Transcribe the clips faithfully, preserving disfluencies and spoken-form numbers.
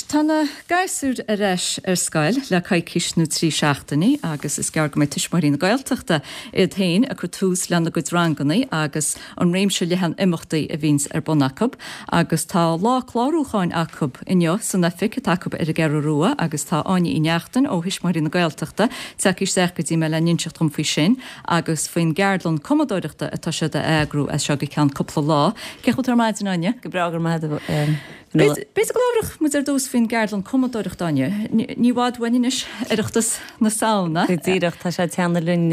Tá na gasúir ar ais ar scoil le coicís nó trí seachtainí agus is gearr go mbeidh Tuismitheoirí na Gaeltachta iad féin ag cur tús lena gcuid ranganna agus an réimse leathan imeachtaí a bhíonns ar bun acu agus tá lá clárúcháin acu inniu san oifig atá acu ar an gCeathrú Rua agus tá Áine Uí Neachtain ó Thuismitheoirí na Gaeltachta tagtha isteach go dtí mé le n-inseacht dom faoi sin agus faoin gceardlann cumadóireachta atá siad a eagrú as seo go ceann cúpla lá. Cén chaoi a bhfuil tú ar maidin, Áine? Go breá, go raibh maith agat. B'fhéidir go labhródh muid ar dtús faoin gceardlann cumadóireachta, Áine. Ní i bhfad uainn anois Oireachtas na Samhna. Go díreach, tá sé ag teannadh linn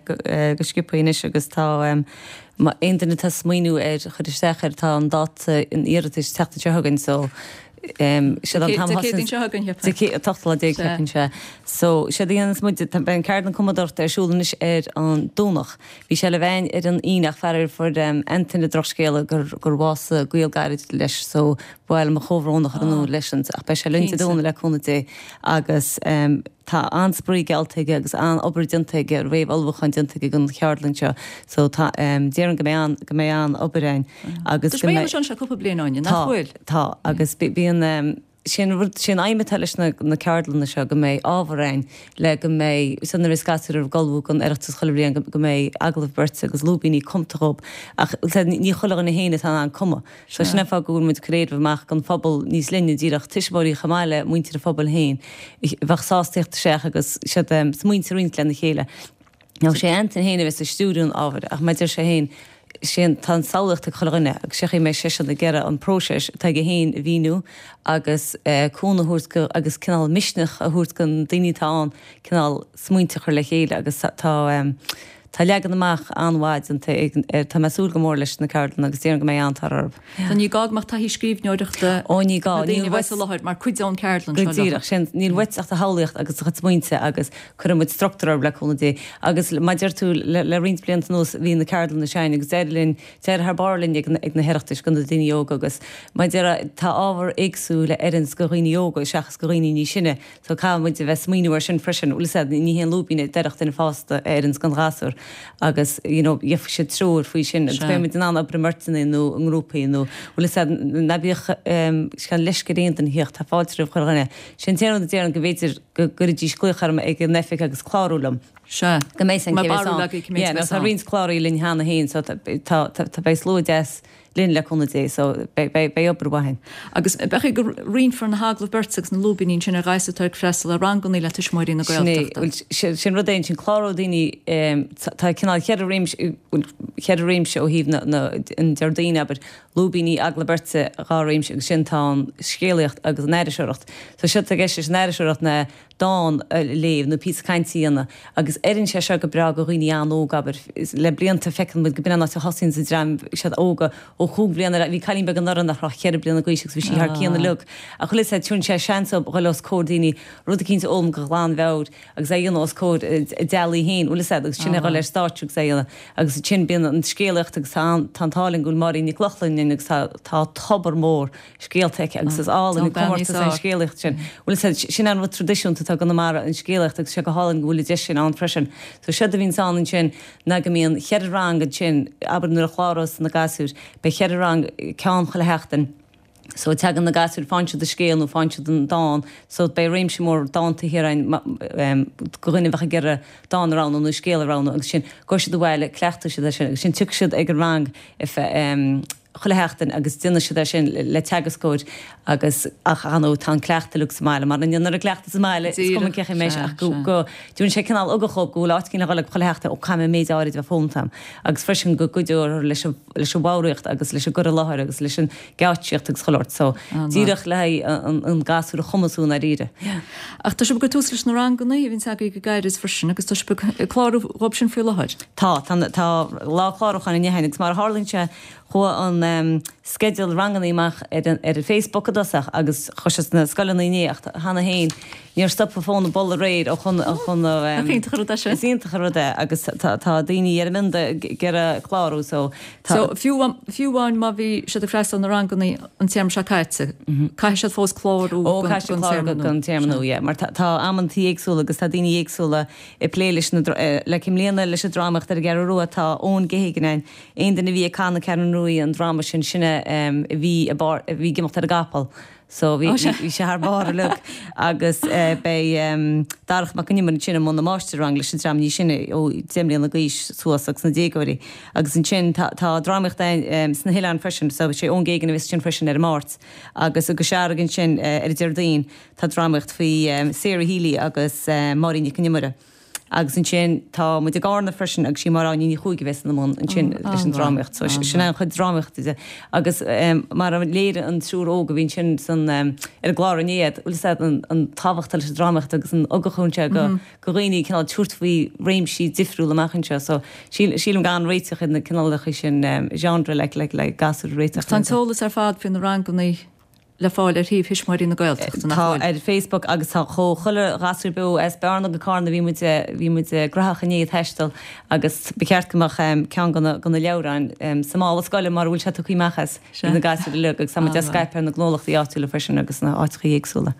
go sciobtha anois agus tá aon duine atá ag smaoineamh ar chur isteach air, tá an dáta an iarratais an tseachtain seo chugainn so siad an t-am Dé Céadaoin seo chugainn, cheapfainn. An t-ochtú lá déag cheapfainn, sea. So séard a dhéananns muid, beidh an ceardlann cumadóireachta ar siúl anois ar an Domhnach. Bhí sé le bheith ar an Aoine ach faraor fuair Antaine drochscéala gur gur bhásaigh gaol gairid leis so ba mhaith liom mo chomhbhrón a chur in iúl leisean ach beidh sé linn Dé Domhnaigh le cúnamh Dé agus tá an-spraoi geallta aige agus an-obair déanta aige, réamh-ullmhúchán déanta aige don cheardlann seo so tá déarfainn go mbeidh an go mbeidh an-obair ann agus go mbeidh. Tá sé anseo cúpla bliain Áine, nach bhfuil? Tá, tá agus bíonn Sé an rud, sé an aidhm atá leis na na ceardlanna seo go mbeidh ábhar ann le go mbeidh, so nuair a bheas gasúir ag ullmhú don Oireachtas chuile bhliain go go mbeidh agallamh beirte agus lúibíní cumta dhób ach ní chuile dhuine féin atá in ann cumadh. So sin an fáth go bhfuil muid ag cur éileamh amach don phobal níos leithne díreach, tuismitheoirí chomh maith le muintir an phobail féin a bheadh sásta theacht isteach agus siad smaointe a roinnt lena chéile. Now sé Antain féin a bheas ag stiúriú an ábhair ach mar a deir sé féin, sé an, tá an samhlaíocht ag chuile dhuine agus sé chaoi a mbeidh seisean ag iarraidh an próiseas atá aige féin a mhíniú agus cúnamh a thabhairt go, agus cineál misneach a thabhairt do na daoine atá ann cineál smaointe a chur le chéile agus tá, tá leagan amach an-mhaith déanta ag, tá mé ag súil go mór leis na ceardlanna agus déarfainn go mbeidh an-tóir orthu. So ní gá go mbeadh taithí scríbhneoireachta Ó ní gá, na daoine níl a bheas uait. i láthair mar cuid den cheardlann Go seo leo. díreach, sin, níl uait ach do shamhlaíocht agus do chuid smaointe agus cuirfidh muid struchtúr orthu le cúnamh Dé. Agus mar a deir tú, le le roinnt blianta anuas bhí na ceardlanna seo againn agus d'éirigh linn, d'éirigh thar barr linn ag ag na hOireachtais do na daoine óga agus mar a déarfá tá ábhar éagsúil a oireanns do dhaoine óga seachas do dhaoine níos sine so caithfidh muid a bheith ag smaoineamh air sin freisin, bhfuil fhios a'd, ní haon lúibín a d'oirfeadh duine fásta a oireanns don ghasúr agus you know gheobhaidh siad treoir faoi sin agus beidh muid in ann obair i mbeirteanna nó i ngrúpaí nó bhfuil fhios a'd, ná bíodh ehm leisce ar aon duine theacht, tá fáilte roimh chuile dhuine. Sé an t-aon rud a déarfainn go mb'fhéidir go gcuirfidís glaoch orm ag an oifig agus clárú liom. Sea. Go mbeidh san Mar cé bheas barúil ann. agaibh cé mhéad Yeah, a nó bheas tá ann. roinnt cláraithe linn cheana féin so tá tá tá beidh slua deas linn le cúnamh Dé so beidh beidh beidh obair mhaith ann. Agus b'fhéidir go roinnfear na hagallaimh beirte agus na lúibíní ansin ar ghasúir atá ag freastal ar ranganna le Tuismitheoirí na Sin é, Gaeltachta. bhuel sin sin rud é ansin cláróidh daoine ehm tá tá cineál cheithre réimse bhuel cheithre réimse ó thaobh na na an Déardaoin abair, lúibíní, agallamh beirte, dhá réimse agus sin tá an scéalaíocht agus an aithriseoireacht. So séard atá i gceist leis an aithriseoireacht ná dán a léamh nó píosa cainte a dhéanamh agus oireann sé seo go breá do dhaoine an-óg abair. Le blianta feiceann muid go b'in an áit a thosaíonns an dream siad óga ó chúig bhliana ar bhí cailín beag anuraidh nach raibh ach ceithre bliana d'aois agus bhí sí thar cionn uilig ach bhfuil fhios a'd tugann sé seans dóibh dhul os comhair daoine rud eicínt a fhoghlaim go ghlanmheabhair agus é a dhéanamh os comhair a dteaghlaigh féin, bhfuil fhios a'd, agus sin é dhul ar stáitse agus é a dhéanamh. Agus ansin bíonn an scéalaíocht agus tá an tá an t-ádh linn go bhfuil Máirín Nic Lochlainn linn agus tá tá tobar mór scéalta aici agus is álainn an comórtas é an scéalaíocht sin. Bhfuil fhios a'd, sin an rud traidisiúnta atá i gConamara, an scéalaíocht agus sé go hálainn go bhfuil an deis sin ann freisin. So séard a bhíonns ann ansin ná go mbíonn cheithre rang ansin, abair nuair a chlárós na gasúir, beidh cheithre rang, ceann chuile sheachtain. So tagann na gasúir, faigheann siad an scéal nó faigheann siad an dán, so beidh réimse mór dánta thiar ann do dhuine a bheadh ag iarraidh dán a roghnú nó scéal a roghnú agus sin, gabhfaidh siad abhaile, cleachtfaidh siad é sin agus sin tiocfaidh siad ag an rang chuile sheachtain agus déanfaidh siad é sin le teagascóir agus ach ar ndóigh tá an cleachtadh uilig sa mbaile mar an ndéanann an cleachtadh sa mbaile is cuma cén chaoi a mbeidh sé ach go go dtabharann sé cineál ugach dhóibh go bhfuil áit éigin le dhul ag chuile sheachtain ó caithfidh mé an méid áirid a bheith foghlamtha agam agus freisin go gcuideoidh leis an leis an bhfoghraíocht agus leis an gcur i láthair agus leis an geáitsíocht agus chuile shórt. So, díreach le haghaidh an gasúr a chumasú i ndáiríre. Ach tá sibh ag cur tús leis na ranganna a bhíonns agaibh go gairid freisin agus tá sibh ag clárú dhóibh sin faoi láthair. Tá, tá, tá lá clárúcháin inniu againn agus mar a tharlaíonn sé chuaigh an sceideal ranganna amach ar an ar an Facebook i dtosach agus chuaigh sé sna scoileanna inné ach cheana féin níor stop an fón ag bualadh aréir ó chun chun Nach iontach an rud é sin? Is iontach an rud é agus tá tá daoine ar a mbionda ag iarraidh clárú so tá So fiú fiú amháin má bhí siad ag freastal na ranganna an téarma seo caite, caithfidh siad fós clárú Ó caithfidh siad clárú don téarma nua, yeah, mar tá tá amantaí éagsúla agus tá daoine éagsúla ag plé leis na like i mbliana leis an drámaíocht ar an gCeathrú Rua tá Eoin Geoghegan ann, aon duine a bhí ag Cath na Ceathrún Rua an dráma sin, sin é a bhí i bpáirt a bhí ag imeacht ar an gcapall. So bhí bhí sé thar barr uilig agus beidh Darach Mac Con Iomaire ansin i mbun na máistir-rang leis an dream níos sine ó deich mbliana d'aois suas agus na déagóirí. Agus ansin tá tá drámaíocht sna hoileáin freisin so sé Eoin Geoghegan a bheas ansin freisin ar an Máirt agus i gCois Fharraige ansin ar an Déardaoin tá drámaíocht faoi Sarah Healy agus Máirín Nic Con Iomaire. Agus ansin tá muid i gCarna freisin agus sí Máire Áine Ní Chuaig a bheas ina mbun ansin leis an drámaíocht. So sin an chuid drámaíochta de. Agus mar a léirigh an triúr óg a bhí ansin san ar an gclár inné, bhfuil fhios a'd an an tábhacht atá leis an drámaíocht agus an ugach a thugann sé go go dhaoine cineál tabhairt faoi réimsí difriúla amach anseo. So sílim gur an-réiteach iad na cineálacha sin genre le le le gasúir a réiteach. Tá an t-eolas ar fad faoi na ranganna le fáil ar shuíomh Thuismitheoirí na Gaeltachta, nach Tá bhfuil? ar Facebook agus tá chomh chuile ghasúr beo as Bearna go Carna bhí muid bhí muid graitheach inné ag taisteal agus ba cheart go mbeadh ceann de na de na leabhráin sa mála scoile mar a bhfuil sé tugtha amach as ag na gasúir uilig agus tá muid á scaipeadh ar na gnólachtaí áitiúla freisin agus na áiteacha éagsúla.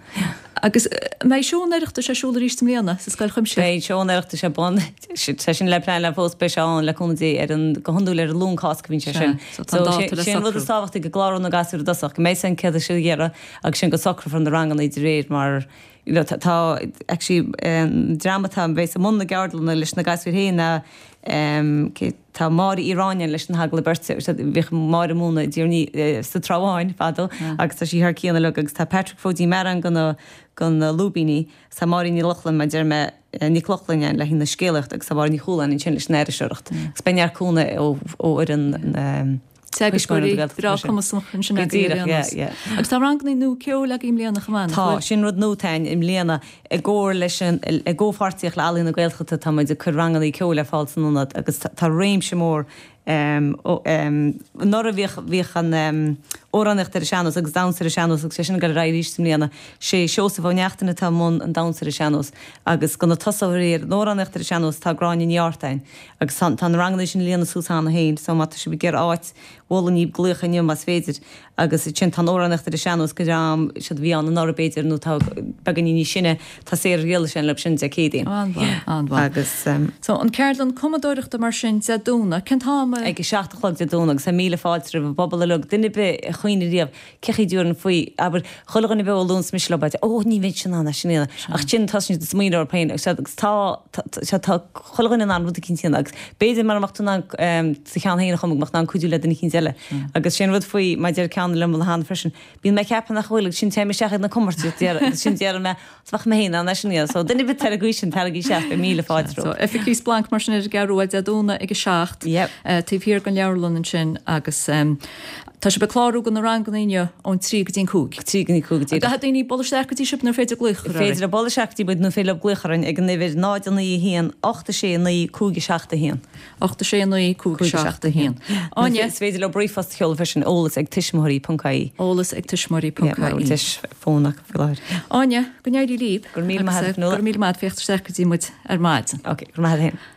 Agus an mbeidh seó an Oireachtais ar siúl arís i mbliana sa Scoil Chuimsitheach? Beidh seó an Oireachtais ar bun, sé sin le pleanáil fós, beidh sé ann le cúnamh Dé ar an, go hiondúil ar an Luan Cásca a bhíonn sé sin. Sea, so tá an dáta le Sé an rud socrú. is tábhachtaí go gcláróidh na gasúir i dtosach, go mbeidh san céad is sé dheireadh agus sin go socrófar na ranganna de réir mar you know tá actually an dream atá a bheas i mbun na gceardlanna leis na gasúir féin ná cé tá Máire Uí Ráinne leis na hagallaimh beirte bhíodh Máire ag múineadh i dTír an Fhia sa Trá Bháin fadó agus tá sí thar cionn uilig agus tá Patrick Phóidín Mearáin do na do na lúibíní agus tá Máirín Ní Lochlainn mar deir mé Nic Lochlainn le haghaidh na scéalaíochta agus tá Máire Ní Chualáin ansin leis an aithriseoireacht agus beidh neart cúnamh ó ó fhoireann na Teagascóirí breá cumasach ansin Go agaibh ar díreach, aon yeah, nós. yeah. Agus tá ranganna nua ceoil agaibh i mbliana chomh maith, nach Tá, bhfuil? sin rud nua atá i mbliana. I gcomhar leis an, i gcomhpháirtíocht le Ealaín na Gaeltachta tá muid ag cur ranganna ceoil ar fáil san ionad agus tá réimse mór Anuraidh bhíodh, bhíodh an amhránaíocht ar an sean-nós agus damhsa ar an sean-nós agus sé sin ag dul ar aghaidh arís i mbliana. Sé Seosamh Ó Neachtain atá i mbun an damhsa ar an sean-nós agus do na tosaitheoirí ar an amhránaíocht ar an sean-nós tá Gráinne Ní Artáin agus tá, tá na ranganna sin ag líonadh suas cheana féin so má tá sibh ag iarraidh áit mholfainn daoibh glaoch inniu más féidir agus ansin tá an amhránaíocht ar an sean-nós do dhream siad a bhí ann anuraidh b'fhéidir nó tá beagáinín níos sine tá Sarah Ghriallais ann leo sin Dé Céadaoin. An-mhaith, an-mhaith. Agus. So an ceardlann cumadóireachta mar sin Dé Domhnaigh, cén t-am a. Ag a seacht a chlog Dé Domhnaigh agus tá míle fáilte roimh an bpobal uilig, duine ar bith a chuimhnigh riamh cé chaoi dtabharfainn faoi, abair, chuile dhuine beo a luanns mise leo b'fhéidir, ó ní bheinnse in ann é sin a dhéanamh, ach ansin tosaíonn siad ag smaoineamh orthu féin agus agus tá, tá, tá chuile dhuine in ann rud eicínt a dhéanamh agus b'fhéidir mura mbeadh tú in ann do cheann féin a chumadh go mbeadh tú in ann cuidiú le duine eicínt eile. Agus sin rud faoi, mar deir ceann liom cheana freisin, bíonn mé ag ceapadh nach bhfuil agus ansin téim isteach ag na comórtais agus ansin déarfaidh mé, 's bheadh mé féin in ann é sin a dhéanamh. So duine ar bith atá ar an gcaoi sin, taraigí isteach, beidh míle fáilte So romhat. Oifig Chríost Splanc mar sin ar an gCeathrú Rua Dé Domhnaigh ag a seacht, Yep. taobh thiar den leabharlann ansin agus tá sibh ag clárú do na ranganna inniu ón trí go dtí an cúig. Trí go dtí cúig go díreach. Caithfidh daoine bualadh isteach go dtí sibh nó féidir glaoch a chur Féidir leo bualadh isteach go dtí muid nó féidir leo glaoch orainn ag an uimhir náid a naoi a haon ocht a sé naoi cúig a seacht a haon. ocht a sé naoi cúig a seacht a haon. Áine. Is féidir leo ríomhphost a sheoladh freisin, eolas ag tuismitheoirí ponc ie. Eolas ag tuismitheoirí ponc ie. Mura bhfuil deis fón acu faoi láthair. Áine, go n-éirí libh. Go raibh míle maith agat, Go raibh míle maith agat féachaint isteach go dtí muid ar maidin. Ok, go raibh maith agat féin.